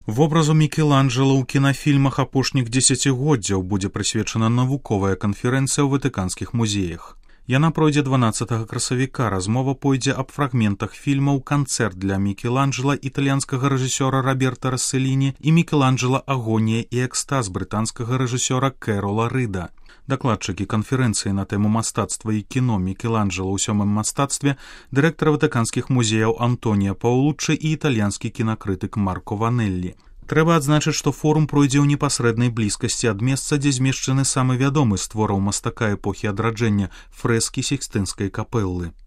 Вобразу Мікеланджела ў кінафільмах апошніх дзесяцігоддзяў будзе прысвечана навуковая канферэнцыя ў ватыканскіх музеях. Яна пройдзе 12 красавіка. Размова пойдзе аб фрагментах фільмаў «Канцэрт для Мікеланджела» італьянскага рэжысёра Роберта Рассэліні і «Мікеланджела. Агонія і экстаз» брытанскага рэжысёра Кэрола Рыда. Дакладчыкі канферэнцыі на тэму мастацтва і кіно Мікеланджела ў сёмым мастацтве, дырэктар ватыканскіх музеяў Антонія Паулуччы і італьянскі кінакрытык Марко Ванеллі. Трэба адзначыць, што форум пройдзе ў непасрэднай блізкасці ад месца, дзе змешчаны самы вядомы з твораў мастака эпохі адраджэння фрэскі Сікстынскай капэллы.